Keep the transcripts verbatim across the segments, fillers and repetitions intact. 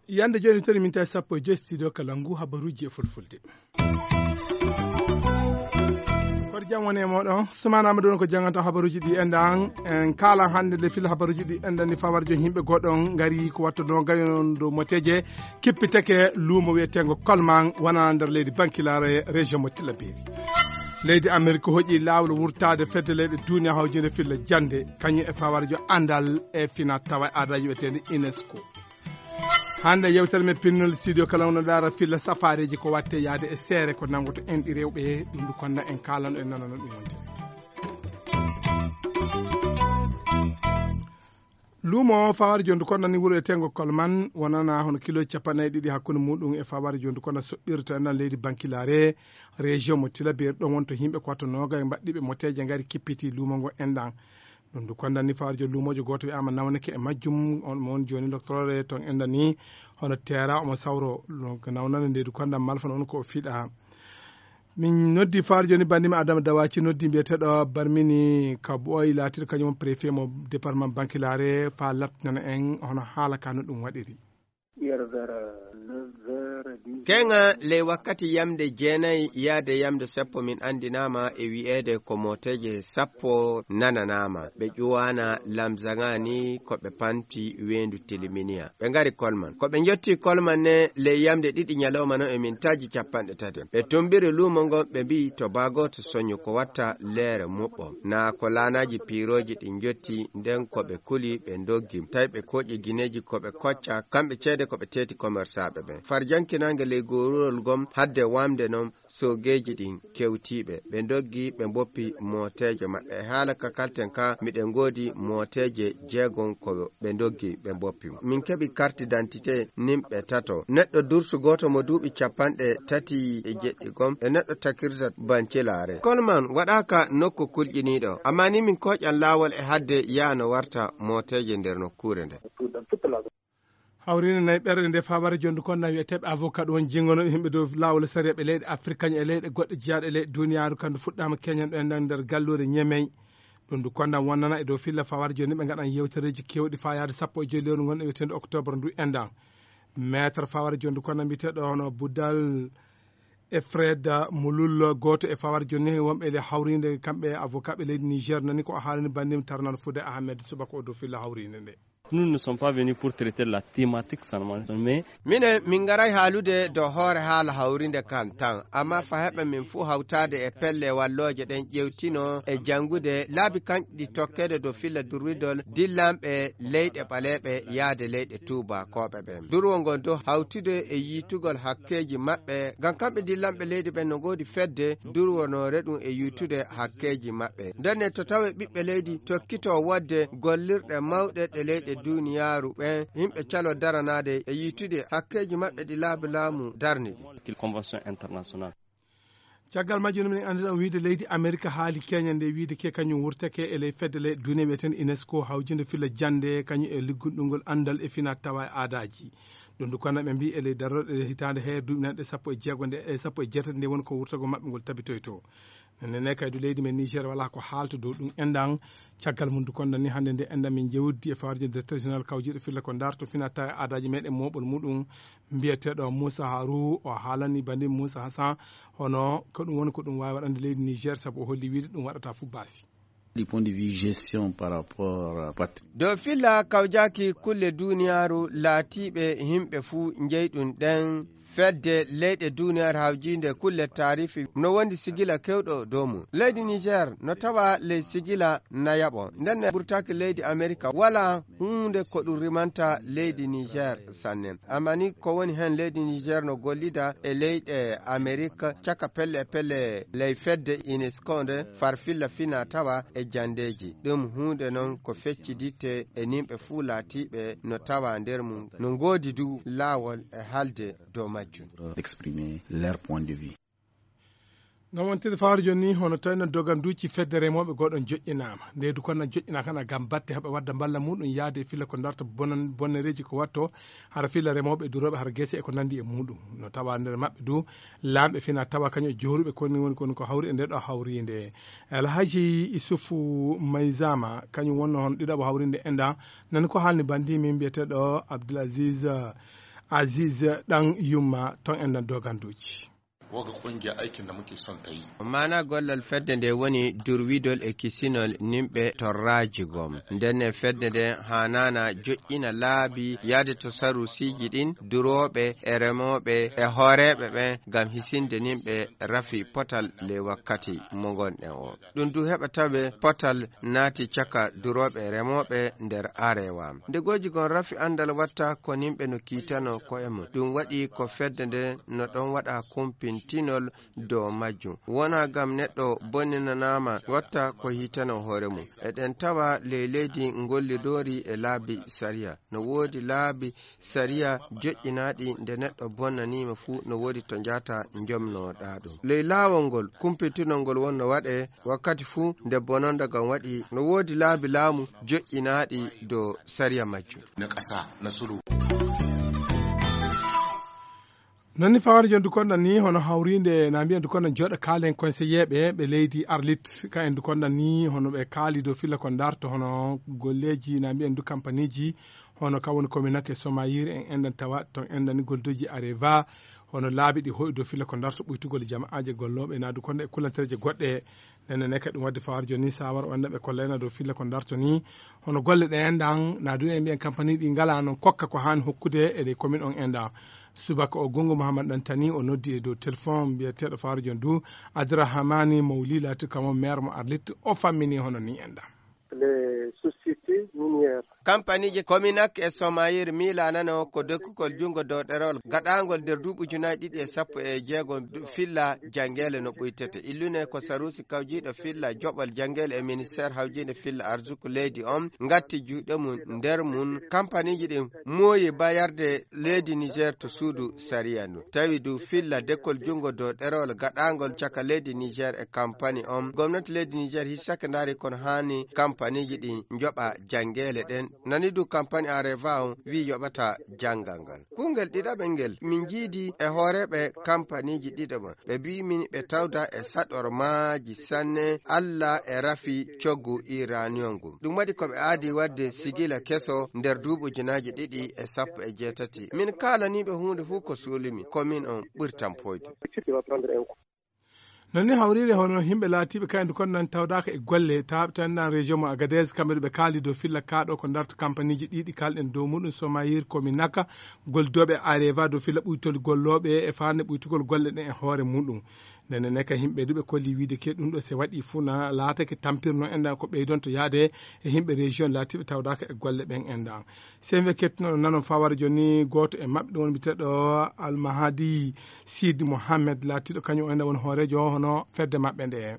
Yande jooni toni min tawi sappo e joyi studio kala ngu habaruuji e fulfulde. Koto jam woni e mooɗon. Sumaana Amadou on ko jannganta habaruuji ɗi enɗan. En kaalan hannde nde filla habaruuji ɗi enɗan ni fawar jooni yimɓe goɗɗon ngari ko wattanoo gayon dow moteeje kippiteke luumo wiyeteengo Kolman wona nder leydi Bankilaare région mo Tillabéri. Leydi Amerik hoƴi laawol wurtaade fedde leyɗe duniya hawjinde filla jannde kañum e fawar jo anndal e fina tawa e aadaaji wiyeteende UNESCO. Hannde yewtere men pinnol studio kala wona daara filla safaareeji ko watte yaade e seere ko nanngoto en ɗi rewɓe ɗum ndu konna en kaalano en nanano ɗum wonde. Luumo fawar jondu konna ni wuro e tengo Kolman wonana hono kilo capanɗe ɗiɗi hakkunde muɗum e fawar jondu konna soɓɓirta nan leydi Bankilaare région mo Tillabéri ɗon wonto yimɓe ko watto noga e mbaɗɗiɓe moteeje ngari kippiti luumo ngo enɗan. Ɗum ndu kondan ni fawar jo luumojo gooto wiyaama nawneke e majjum on mo woni jooni doctorore ton enɗan ni hono teera omo sawro. Donc nawnande nde du kondan malfa noon ko o fiɗa. Min noddi fawar jooni bandimi Adama Dawaci noddi mbiyeteɗo Barmini ka ɓooyi laatiɗo kañum on préfet mo département Bankilaare fa lattinana en hono haala ka no ɗum waɗiri. Keŋa ley wakkati yamde jeenayi yaade yamde sappo min anndinaama e wi'eede ko mooteeje sappo nananaama. Ɓe ƴuwaana lamzaŋa ni ko ɓe panti weendu Tiliminiya. Ɓe ngari Kolman. Ko ɓe njotti Kolman ne ley yamde ɗiɗi ñalawma no e min taji capanɗe tati. Ɓe tumbiri luumo ngon ɓe mbi'i to baa gooto soñu ko watta leere muɓɓo. Naa ko laanaaji piirooji ɗi njotti nden ko ɓe kuli ɓe ndoggi. Tawi ɓe kooƴi gineeji ko ɓe kocca kamɓe ceede ko ɓe teeti komersaaɓe ɓen. Far jankinange ley gooruwol gom hadde wamde non soogeeji ɗin kewtiiɓe. Ɓe ndoggi ɓe mboppi mooteeje maɓɓe. E haala ka kalten ka miɗen ngoodi mooteeje jeegon ko ɓe ndoggi ɓe mboppi. Min keɓi carte d'identité nimɓe tato. Neɗɗo dursu gooto mo duuɓi capanɗe tati e jeɗɗi gom e neɗɗo takirta bancilaare. Kolman waɗaaka nokku kulƴiniiɗo. Amma ni min kooƴan laawol e hadde yaano warta mooteeje nder nokkuure nde. Hawriinde nayi ɓerɗe nde fabare jondu kon na wiyeteeɓe avocat ɗum woni jingono yimɓe dow laawol sariya ɓe leyɗe Afrique kañum e leyɗe goɗɗe jeyaaɗe e leyɗe duniyaaru kandu fuɗɗaama keñan ɗo enɗan nder galluure Ñemey. Ɗum ndu kondan wonnana e dow filla fawar jooni ɓe ngaɗan yewtereeji kewɗi faa yaade sappo e joyi lewru ngon e wiyeteende octobre ndu enɗan. Maître fawar jooni ndu kondan mbiyeteeɗo hono Budal e Fred Mulul gooto e fawar jooni ni wonɓe e hawriinde kamɓe avocat ɓe leydi Niger nani ko o haalani bandim tarnan fude Ahmed subaka o dow filla hawriinde nde. Nous ne sommes pas venus pour traiter la thématique seulement, mais minen min ngaray haalude dow hoore haala hawrinde kan tan, amma fa heɓa min fuu hawtaade e pelle wallooje ɗen ƴewtino e janngude laabi kanɗi tokkeede dow filla durwidol dillanɓe leyɗe ɓaleeɓe yaade leyɗe tuubakooɓe ɓen. Durwo ngon dow hawtude e yiitugol hakkeeji maɓɓe, ngam kamɓe dillanɓe leydi ɓen no ngoodi fedde durwonoore ɗum e yiitude hakkeeji maɓɓe. Ndenne to tawe ɓiɓɓe leydi tokkito wodde gollirɗe mawɗe ɗe leyɗe duniyaaru ɓen, yimɓe calo daranaade e yiitude hakkeeji maɓɓe ɗi laabi laamu darni ɗi. Qu'il convention internationale. Caggal majjum minen anndiɗon wiide leydi Amerika haali keña nde wiide ke kañum wurtake e ley fedde ley duniya wiyeten UNESCO hawjinde filla jannde kañum e liggunɗungol anndal e fina tawa e aadaaji. Ɗum ndu kono ɓe mbi e ley darorɗe hitaande hee duuɓi nanɗe sappo e jeego nde e sappo e jeetati nde woni ko wurtagol maɓɓe ngol tabitoyto. Nene kaydu leydi men Niger wala ko haalta dow ɗum enɗan. Caggal mum du kondan ni hannde nde enɗan min jewdi e fawarjo directeur général kawjiɗo filla ko darto fina tawa e aadaaji meɗen moɓol muɗum mbiyeteɗo Moussa Harou o haalani bandi Moussa Hassan hono ko ɗum woni ko ɗum wawi waɗande leydi Niger sabu o holli wiide ɗum waɗata fu baasi. Du point de vue gestion par rapport à patri- Dow filla kawjaki kulle duniyaaru laatiiɓe yimɓe fuu njeyɗum ɗen fedde leyɗe duniyaaru hawjiinde kulle taarifi no wondi sigila kewɗo dow mum. Leydi Niger no tawa ley sigila nayaɓo. Nden ne burtaki leydi Amerika wala huunde ko ɗum rimanta leydi Niger sannen. Amma ni ko woni heen leydi Niger no gollida e leyɗe Amerik caka pelle e pelle ley fedde UNESCO nde far filla fina tawa e jandeeji. Ɗum huunde noon ko fecciditte e nimɓe fuu laatiiɓe no tawa nder mum no ngoodi du laawol e haalde dow majjum. Exprimer leur point de vue. No wontiri fawre jooni ni, hono tawi no doganduuji fedde remooɓe goo ɗoon joƴƴinaama. Nde du kon na joƴƴinaaka na ngam batte haɓe wadda mballa muɗum yaade filla ko darta bonan-, bonnereeji ko watto, hara filla remooɓe e durooɓe hara gese e ko nanndi e muɗum. No tawa nder maɓɓe du, laamɓe fina tawa kañum e jooruɓe koni woni kon ko hawri e nde ɗo hawriinde. Alhaji Isufu Mayzama, kañum wonno hono ɗiɗaɓo hawriinde enda, nani ko haalni banndi min mbiyeteeɗo Abdulaziz, Aziz Ɗan Yumma, toon enda doganduuji. Wagga ƙungiya aikin da muke son ta yi. Maana gollal fedde nde woni durwidol e kisinol nimɓe torraaji gom. Ndenne fedde nde haanaana joƴƴina laabi yaade to sarusiiji ɗin, durooɓe e remooɓe e hooreeɓe ɓen ngam hisinde nimɓe rafi potal ley wakkati mo ngonɗen o. Ɗum du heɓa tawe potal naati caka durooɓe e remooɓe nder arewa. Nde gooji gon rafi anndal watta ko nimɓe no kiitano ko'e mum. Ɗum waɗi ko fedde nde no ɗon waɗa kumpintinol dow majjum. Wona gam neɗɗo bonninanaama watta ko hiitano hoore mum. Eɗen tawa ley leydi ngollidoori e laabi sariya. No woodi laabi sariya joƴƴinaaɗi nde neɗɗo bonnaniima fuu no woodi to njaata njomnoɗaa ɗum. Ley laawol ngol, kumpintinol ngol wonno waɗee wakkati fuu nde bononda ngan waɗi. No woodi laabi laamu joƴƴinaaɗi dow sariya majjum. Na ƙasa, na sulu. Non ni fawre jon du konɗan ni hono hawrinde na mbiyen du konɗan jooɗo kaalen conseiller ɓe ɓe leydi Arlit ka en du konɗan ni hono ɓe kaali dow filla ko darto hono golleeji na mbiyen du kampaniji hono ka woni kominake somayir en enɗan tawa ton enɗan ni goldoji areva hono laabi ɗi hoyi dow filla ko darto ɓuytugol jama'aaje gollooɓe na du konɗan e kulantereje goɗɗe. Nene ne kadi ɗum wadde fawar joni ni sawar o anda ɓe kollayna dow filla ko darto ni hono golle ɗe enɗan na du en mbiyen kampaniji ɗi ngala noon kokka ko haani hokkude e ɗe commune on enɗan. Subaka o gongo Mouhammad Dantani o noddi e dow téléphone mbiyeteeɗo fawar joni du Adrahamani Mawli laati kamo maire mo Arlit o fammini hono ni enɗan. Les sociétés minières. Kampaniji Kominak e Somayir miilanano ko dokkugol junngo dow ɗerewol gaɗaangol nder duuɓi ujunaaji ɗiɗi e sappo e jeego filla janngeele no ɓuytete. Illune ko saruusi kawjiiɗo filla joɓol janngeele e ministeer hawjiinde filla arsuku leydi on ngatti juuɗe mum nder mum. Kampaniji ɗin mooyi bayarde leydi Niger to suudu sariya ndu. Tawi du filla dekkol junngo dow ɗerewol gaɗaangol caka leydi Niger e kampani on. Gomnati leydi Niger hissake ndaari kono haani kampaniji ɗin njoɓa janngeele ɗen. Nani du kampani Areva on wi'i yoɓata janngal ngal. Kungel ɗiɗaɓel ngel min jiidi e hooreeɓe kampaniji ɗiɗaɓo. Ɓe mbi'i min ɓe tawda e saɗormaaji sanne Alla e rafi coggu iraniyon ngun. Ɗum waɗi ko ɓe aadi waɗde sigila keso nder duuɓi ujunaaji ɗiɗi e sappo e jeetati. Min kaalaniiɓe huunde fuu ko suulimi, ko min on ɓuri tampoyde. Non ni hawriire hono yimɓe laatiiɓe kayndi kon nan tawdaaka e golle taaɓe tan nan région mo Agadez kamɓe ɓe kaali dow filla kaaɗo ko darta kampaniji ɗiɗi kalɗen dow muɗum Somayir Kominaka goldooɓe Areva dow filla ɓuytol gollooɓe e faande ɓuytugol golle ɗen e hoore muɗum. Nene ne ka yimɓe du ɓe kolli wiide ke ɗum ɗo se waɗi fuu na laatake tampirno enɗan ko ɓeydonto yaade e yimɓe région laatiiɓe tawdaaka e golle ɓen enɗan. Sen we kettuno nano fawar joni gooto e maɓɓe ɗum woni biteɗo Almahadi Sid Mohammed laatiɗo kañum o enɗan woni hooreejo hono fedde maɓɓe nde.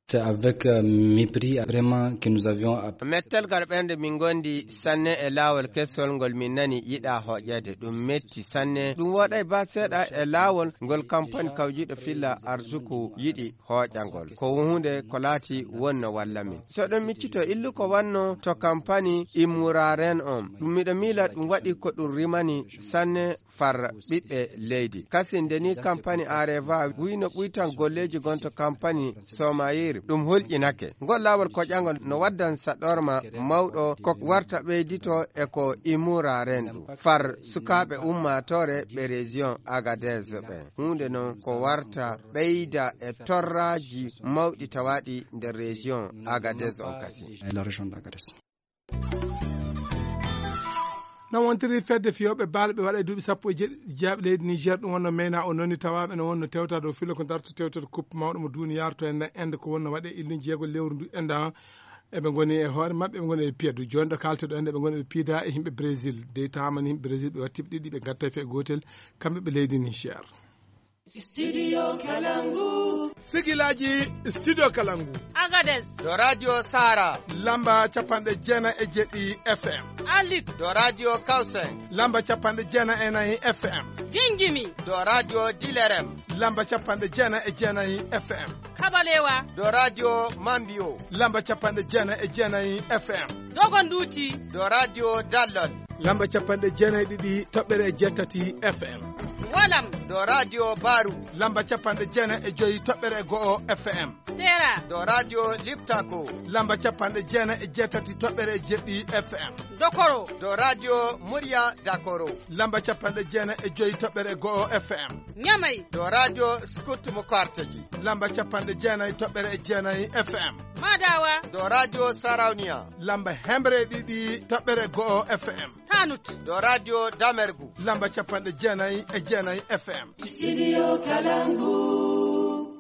C'est avec euh, mépris vraiment que nous avions app- Mettel ngal ɓernde min ngondi sanne e laawol kesol ngol min nani yiɗa hoƴƴeede. Ɗum metti sanne. Ɗum woɗay ba seeɗa e laawol ngol kampani kawjiiɗo filla arsuku yiɗi hoƴangol. Ko huunde ko laati wonno walla min. So ɗon miccito illu ko wanno to kampani immuraren on. Ɗum miɗo miila ɗum waɗi ko ɗum rimani sanne far ɓiɓɓe leydi. Kasi nde ni kampani Areva wino ɓuytan golleeji gonto kampani Somayir, ɗum hulƴinake. Ngol laawol koƴangol no waddan saɗorma mawɗo ko warta ɓeydito e ko imura rendu. Far sukaaɓe ummaatoore ɓe région Agadez ɓe. Huunde non ko warta ɓeyda e torraaji mawɗi tawaaɗi nder région Agadez on kasi. No wontiri fedde fiyooɓe bal ɓe waɗa e duuɓi sappo e jeeɗiɗi jaaɓi leydi Niger ɗum wonno meyna o noni tawaaɓe no wonno tewta dow filo ko darto tewtata coupe mawɗo mo duniyaaru to enda ende ko wonno waɗe illun jeego lewru ndu enda. Eɓe ngoni e hoore maɓɓe eɓe ngoni e piyadu joni ɗo kalteɗo ende ɓe ngoni ɓe piida e yimɓe Brésil dey tawama ni yimɓe Brésil ɓe wattiɓe ɗiɗi ɓe gatta fe gotel. Kamɓe ɓe leydi Niger. Studio Kalangu. Sigilaji Studio Kalangu. Agadez. Do Radio Sara. Lamba capanɗe jeenayi e jeɗɗi F M. Alit. Do Radio Kausen. Lamba capanɗe jeenayi e nayi F M. Gingimi. Do Radio Dilerem. Lamba capanɗe jeenayi e jeenayi F M. Kabalewa. Do Radio Mambio. Lamba capanɗe jeenayi e jeenayi F M. Dogonduti. Do Radio Dallol. Lamba capanɗe jeenayi e ɗiɗi toɓɓere jeetati F M. Walam. Do Radio Baru. Lamba capanɗe jeenayi e joyi toɓɓere go'o F M. Sera. Do Radio Liptako. Lamba capanɗe jeenayi e jeetati toɓɓere jeɗɗi F M. Dokoro. Do Radio Murya Dakoro. Lamba capanɗe jeenayi e joyi toɓɓere go'o F M. Nyamai. Do Radio Scoot Mukarteji. Lamba capanɗe jeenayi toɓɓere jeenayi F M. Madawa. Do Radio Sarauniya. Lamba hemre ɗiɗi toɓɓere go'o F M. Tanut. Do Radio Damergu. Lamba capanɗe jeenayi e jeenayi F M. Studio Kalangu.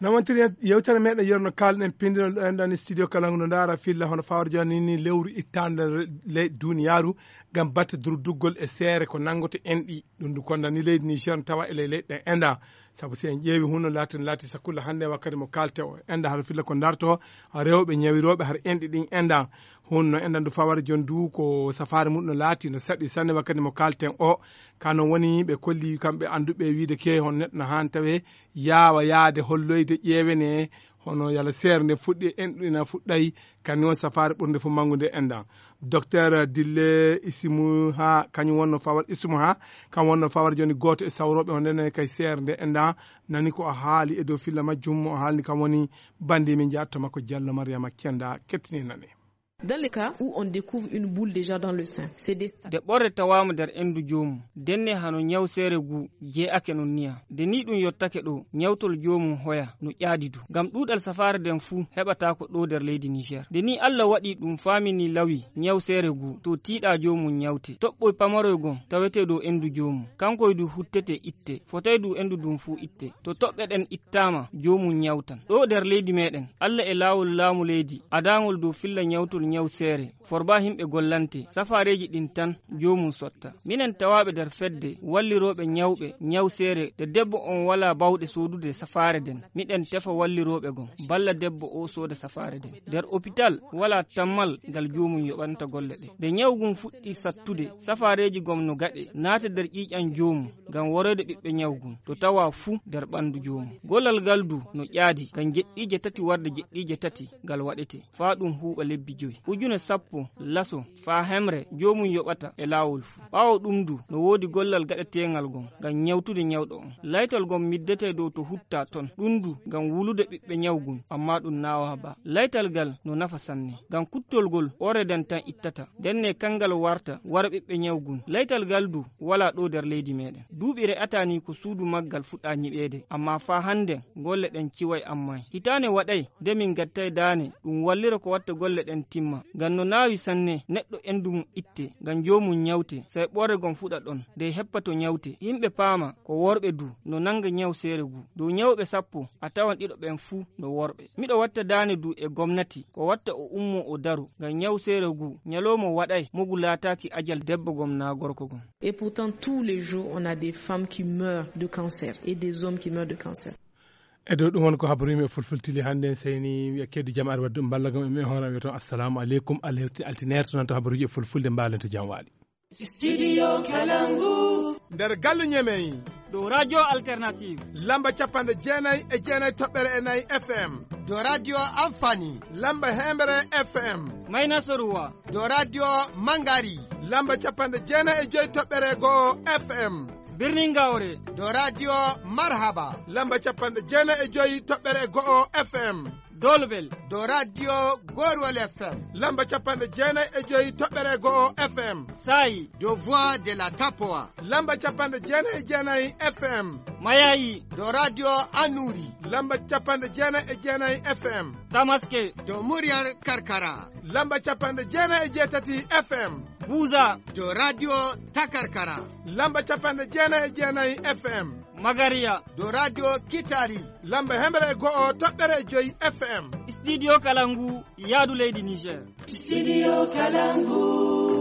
No wontiri en yewtere meɗen yerno kalɗen pindinol ɗo enɗan studio Kalangu no ndaara filla hono fawre joni ni lewru ittande ley duniyaaru ngam batte durduggol e seere ko nanngoto enɗi. Ɗum ndu kondani leydi Niger no tawa e ley leyɗe ɗen enɗa. Sabu si en ƴeewi hunno laati no laati sakulla hannde wakkati mo kalte o enɗa haɗa filla ko darto rewɓe ñawirooɓe har enɗi ɗin enɗa. Hunno enɗa ndu faware jon du ko safaare mum no laati no saɗi sanne wakkati mo kalten o. Kano woni ɓe kolli kamɓe annduɓe wiide ke hon neɗɗo no haan tawe yaawa yaade holloyde ƴeewene hono yala seere nde fuɗɗi enɗu ina fuɗɗay. Kanni on safaare ɓurnde fof manngude enɗan. Docteur Dille Isimu ha kañum wonno fawar Isimu ha kam wonno fawar joni gooto e sawrooɓe on ndene kay seere nde enɗan. Nani ko o haali e dow filla majjum o haalni kam woni bandi min jaatto makko Diallo Mariama Kenda kettini nane. Dans les cas où on découvre une boule déjà dans le sein, c'est des stades. De ɓorre tawaama nder enndu joomum denne hano ñawseere ngu jee'ake non niya. Nde ni ɗum yottake ɗo ñawtol joomum hoya no ƴaadi du ngam ɗuuɗal safaare nden fuu heɓataako ɗo nder leydi Niger. Nde ni Allah waɗi ɗum faamini lawi ñawseere ngu to tiiɗa joomum ñawte. Toɓɓoy pamaroy gon tawetee dow enndu joomum kankoy du huttete itte fotay du enndu ndun fuu itte. To toɓɓe ɗen ittaama joomum ñawtan. Ɗo nder leydi meɗen Allah e laawol laamu leydi adaangol dow filla ñawtol ñawseere. Forba himɓe gollante safaareeji ɗin tan joomum sotta. Minen tawaaɓe nder fedde wallirooɓe ñawɓe ñawseere nde debbo on walaa bawɗe soodude safaare nden miɗen tefa wallirooɓe gon balla debbo o sooda safaare nden. Nder opital walaa tammal ngal joomum yoɓanta golle ɗe. Nde ñaw ngun fuɗɗi sattude safaareeji gom no gaɗe naata nder ƴiiƴan joomum ngam waroyde ɓiɓɓe ñaw ngun to tawa fuu nder ɓanndu joomum. Gollal ngal du no ƴaadi ngam jeɗɗiije tati warde jeɗɗiije tati ngal waɗete. Faa ɗum huuɓa lebbi joyi ujune sappo laso faa hemre joomum yoɓata e laawol fuu. Ɓaawo ɗum du no woodi gollal gaɗeteengal ngon ngam ñawtude ñawɗo on. Laytal ngon middetee dow to huttaa ton ɗum du ngam wulude ɓiɓɓe ñaw ngun ammaa ɗum naawaa ba. Laytal ngal no nafa sanne ngam kuttol ngol ɓorre nden tan ittata ndenne kanngal warta wara ɓiɓɓe ñaw ngun. Laytal ngal du walaa ɗo nder leydi meɗen. Duuɓi re'ataa ni ko suudu maggal fuɗɗaa ñiɓeede ammaa faa hannden golle ɗen ciway ammaa hitaande waɗay nde min gattay daane ɗum wallira ko watta golle ɗen timma ngam no naawi sanne neɗɗo enndu mum itte ngam joomum ñawte say ɓoore gom fuɗa ɗon nde heppa to ñawte yimɓe paama ko worɓe du no nannga ñawseere ngu dow ñawɓe sappo a tawan ɗiɗo ɓen fuu no worɓe. Miɗo watta daane du e gomnati ko watta o ummo o daru ngam ñawseere ngu ñaloomo waɗay mo ngu laataaki ajal debbo gom naa gorko gom. Et pourtant tous les jours on a des femmes qui meurent de cancer et des hommes qui meurent de cancer. E dow ɗum won ko habaruji men fulfultili hannde en seyni wiya keddu jam ar waddu mballa gam e men hono wiya toon assalamu aleykum alhewti altineer to nan to habaruji e fulfulde mbalen to jam waali. Studio Kalangu. Nder galle ñemeyi dow radio alternative lamba capanɗe jeenayi e jeenayi toɓɓere e nayi F M. Dow radio amfani lamba hemre F M. Mayna soruwa dow radio mangari lamba capanɗe jeenayi e joyi toɓɓere go'o F M. Birnin Gaure dow radio Marhaba lamba capanɗe jeenayi e joyi toɓɓere go'o F M. Dolbel dow radio Gorwal F M lamba capanɗe jeenayi e joyi toɓɓere go'o F M. Sayi dow Voix de la Tapoa lamba capanɗe jeenayi e jeenayi F M. Mayayi dow radio Anuri lamba capanɗe jeenayi e jeenayi F M. Tamaske dow Muryar Karkara lamba capanɗe jeenayi e jeetati F M. Buza dow radio Takarkara lamba capanɗe jeenayi e jeenayi F M. Magariya dow radio Kitari lamba hemre e go'o toɓɓere e joyi F M. Studio Kalangu yaadu leydi Niger. Studio Kalangu.